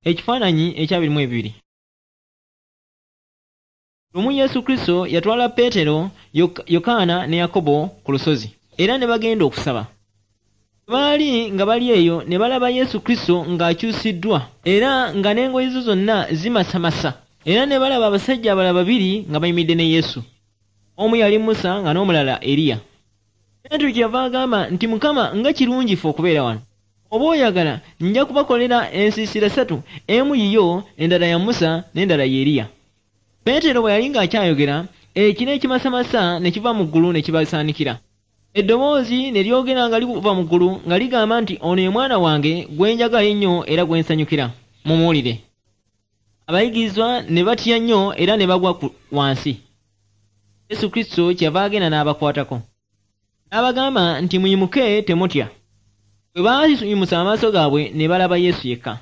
Ekifaananyi ekyabiri mu ebiri. Lumu Yesu Kristo yatwala Peetero, Yokaana ne Yakobo ku lusozi era ne bagenda okusaba. Bwe baali nga bali eyo ne balaba Yesu Kristo ng'akyusiddwa era nga n'engoye ze zonna zimasamasa era ne balaba abasajja abalala babiri nga bayimiridde ne Yesu. Omu yali Musa nga n'omulala Eriya. Peetero kyeyava agamba nti, Mukama, nga kirungi ffe okubeera wano. Oba oyagala nja kubakolera ensiisira ssatu, emu yiyo, endala ya Musa n'endala ya Eriya. Peetero bwe yali ng'akyayogera, ekire ekimasamasa ne kiva mu ggulu ne kibasaanikira. Eddoboozi ne lyogera nga liva mu ggulu nga ligamba nti, Ono ye mwana wange gwe njagala ennyo era gwe nsanyukira. Mumuwulire. Abayigirizwa ne batya nnyo era ne bagwa wansi. Yesu Kristo kyeyava agenda n'abakwatako. N'abagamba nti, Muyimuke, temutya. Bwe baayimusa amaaso gaabwe ne balaba Yesu yekka.